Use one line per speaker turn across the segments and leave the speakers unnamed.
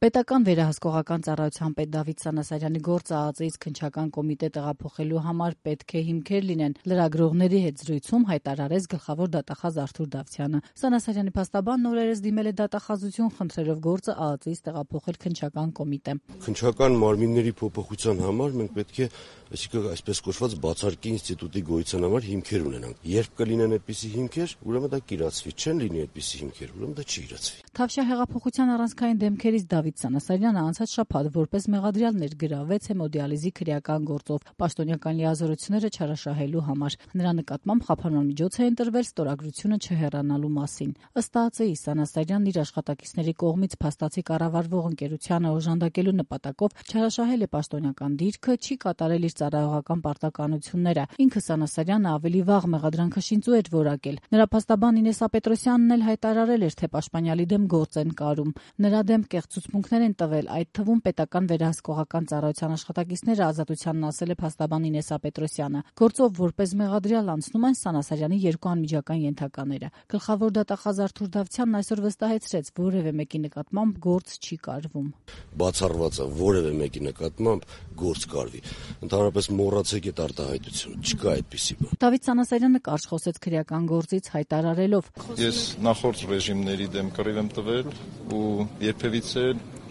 Պետական վերահսկողական ծառայության պետ Դավիթ Սանասարյանի գործը ԱԱԾ-ից քննչական կոմիտե տեղափոխելու համար պետք է հիմքեր լինեն, լրագրողների հետ զրույցում հայտարարեց գլխավոր դատախազ Արթուր Դավթյանը։ Սանասարյանի փաստաբանն օրերս դիմել է դատախազություն, խնդրելով գործը ԱԱԾ-ից տեղափոխել քննչական կոմիտե։
Քննչական մարմինների փոփոխության համար մենք պետք է, այսինքն այսպես կոչված բացարկի ինստիտուտի գոյության համար հիմքեր ունենանք։ Երբ կլինեն այդպիսի հիմքեր, ուրեմն դա կիրացվի, չեն լինի այդպիսի հիմքեր, ուրեմն դա չի իրացվի։
Թավշյա հեղափոխության առանցքային դեմքերից Դավիթ Սանասարյանը անցած շաբաթ որպես մեղադրյալ ներգրավվեց հեմոդիալիզի քրեական գործով պաշտոնյական լիազորությունները չարաշահելու համար։ Նրա նկատմամբ խափանման միջոց է ընտրվել ստորագրությունը չհեռանալու մասին։ Ըստ ԱԱԾ-ի Սանասարյանն իր աշխատակիցների կողմից փաստացի կառավարվող ընկերությանը օժանդակելու նպատակով չարաշահել է պաշտոնյական դիրքը, չի կատարել իր ծառայողական պարտականությունները։ Ինքը Սանասարյանը ավելի վաղ մեղադրանքը շինծու էր որակել։ Նրա փաստաբան Ինեսա Պետրոսյանն էլ հայտարարել էր, թե պաշտպանյալի դեմ գործ են կարում։ Նրա դեմ կեղծուցմունքներ են տվել, այդ թվում պետական վերահսկողական ծառայության աշխատակիցները ազատությանն ասել է փաստաբան Ինեսա Պետրոսյանը։ Գործով որպես մեղադրյալ անցնում են Սանասարյանի երկու անմիջական ենթակաները։ Գլխավոր դատախազ Արթուր Դավթյանն այսօր վստահեցրեց, որևէ մեկի նկատմամբ գործ չի կարվում։
Բացառված է որևէ մեկի նկատմամբ գործ կարվի։ Ընդհանրապես մոռացեք այդ արտահայտությունը, չկա այդպիսի բան։
Դավիթ Սանասարյանը կարճ խոսեց քրեական գործից հայտարարելով.
Ես նախորդ ռեժիմների դեմ կռիվ եմ տվել ու երբևիցե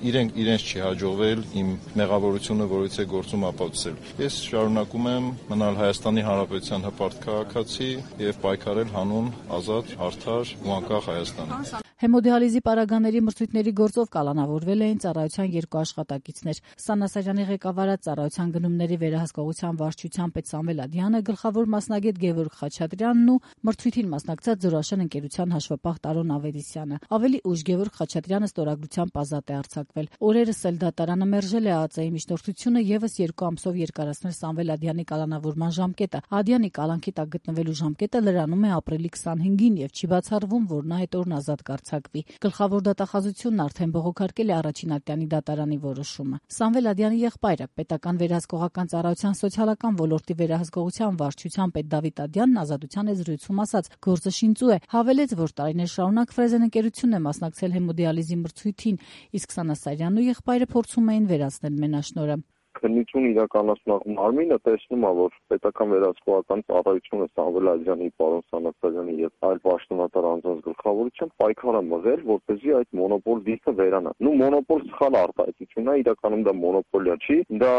իրենց չի հաջողվել իմ մեղավորությունը որից է գործում ապացուցել։ Ես շարունակում եմ մնալ Հայաստանի Հանրապետության հպարտ քաղաքացի եւ պայքարել հանուն ազատ, արդար ու անկախ Հայաստանի։
Հեմոդիալիզի պարագաների մրցույթների գործով կալանավորվել էին ծառայության երկու աշխատակիցներ։ Սանասարյանի ղեկավարած ծառայության գնումների վերահսկողության վարչության պետ Սամվել Ադյանը, գլխավոր մասնագետ Գևորգ Խաչատրյանն ու մրցույթին մասնակցած Զորաշեն ընկերության հաշվապահ Տարոն Ավետիսյանը։ Ավելի ուշ Գևորգ Խաչատրյանը ստորագրությամբ ազատ է արձակվել։ Օրերս էլ դատարանը մերժել է ԱԱԾ-ի միջնորդությունը եւս 2 ամսով երկարացնել Սամվել Ադյանի կալանավորման ժամկետը։ Ադյանի կալանքի տակ գտնվելու ժամկետը լրանում է ապրիլի 25-ին եւ չի բացառվում, որ նա այդ օրն ազատ կարձակվի։ Գլխավոր դատախազությունն արդեն բողոքարկել է առաջին ատյանի դատարանի որոշումը։ Սամվել Ադյանի եղբայրը, պետական վերահսկողական ծառայության սոցիալական ոլորտի վերահսկողության վարչության պետ Դավիթ Ադյանն ազատության է զրույցում ասաց, գործը շինծու է, հավելեց, որ տարիներ շարունակ Ֆրեզեն ընկերությունն է մասնակցել հեմոդիալիզի մրցույթին, իսկ Սանասարյանն ու եղբայրը փորձում էին վերացնել մենաշնորհը։
Քննություն իրականացնող մարմինը տեսնում է, որ պետական վերահսկողական ծառայությունը Սամվել Ադյանի, պարոն Սանասարյանի եւ այլ պաշտոնատար անձանց գլխավորությամբ պայքար է մղել, որպեսզի այդ մոնոպոլ դիրքը վերանա։ Մոնոպոլ սխալ արտահայտություն է, իրականում դա մոնոպոլիա չի, դա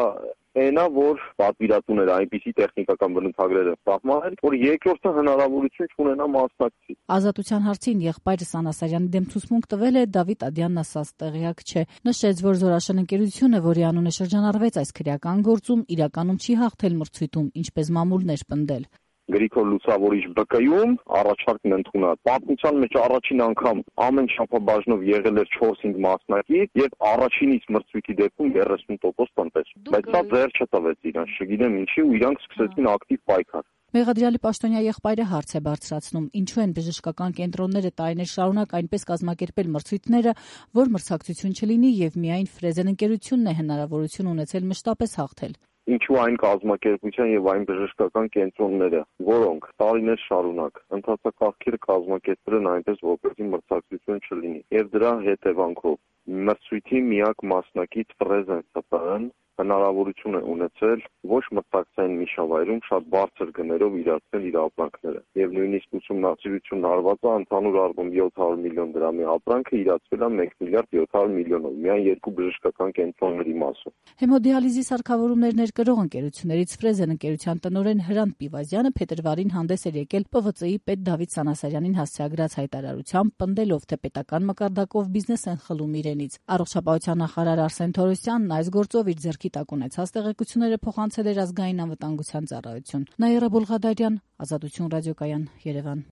այնա, որ պատվիրատուները այնպիսի տեխնիկական բնութագրեր են սահմանել, որ երկրորդը հնարավորություն չունենա մասնակցի։
Ազատության հարցին եղբայրը Սանասարյանի դեմ ցուցմունք տվել է, Դավիթ Ադյանն ասաց տեղյակ չէ։ Նշեց, որ Զորաշեն ընկերությունը, որի անունը շրջանառվեց այս քրեական գործում, իրականում չի հաղթել մրցույթում, ինչպես մամուլներ պնդել։
Գրիգոր Լուսավորիչ ԲԿ-ում առաջարկն ընդունած։ Պատմության մեջ առաջին անգամ ամեն շաբաթ եղել էր 4-5 մասնակից եւ առաջինից մրցույթի դեպքում 30% տնտես։ Բայց դա ձեռ չտվեց իրան, չգիտեմ ինչի, ու իրանք սկսեցին ակտիվ պայքար։
Մեղադրյալի պաշտոնյա եղբայրը հարց է բարձրացնում, ինչու են բժշկական կենտրոնները տարիներ շարունակ այնպես կազմակերպել մրցույթները, որ մրցակցություն չլինի եւ միայն Ֆրեզեն ընկերությունն է հնարավորություն ունեցել մշտապես հաղթել։
Ինչու այն կազմակերպության եւ այն բժշկական կենտրոնները, որոնք տարիներ շարունակ ընթացակարգերը կազմակերպել են այնպես, որպեսզի մրցակցություն չլինի, եւ դրա հետևանքով մրցույթի միակ մասնակից Ֆրեզեն ՍՊԸ-ն հնարավորություն է ունեցել ոչ մրցակցային միջավայրում շատ բարձր գներով իրացնել իր ապրանքները եւ նույնիսկ ուսումնասիրությունն արված է ընդհանուր առմամբ 700 միլիոն դրամի ապրանքը իրացվել է 1 միլիարդ 700 միլիոնով միայն երկու բժշկական կենտրոնների մասով։
Հեմոդիալիզի սարքավորումներ ներկրող ընկերություններից Ֆրեզեն ընկերության տնօրեն Հրանտ Պիվազյանը փետրվարին հանդես էր եկել ՊՎԾ-ի պետ Դավիթ Սանասարյանին հասցեագրած հայտարարությամբ, պնդելով, թե պետական մակարդակով բիզնես են խլում իրենից։ Առողջապահության նախարար Արսեն Թորոսյանն այս գործով իր ձեռքի տակ ունեցած տեղեկությունները փոխանցել էր ազգային անվտանգության ծառայություն։ Նաիրա Բոլղադարյան, Ազատություն ռադիոկայան, Երևան։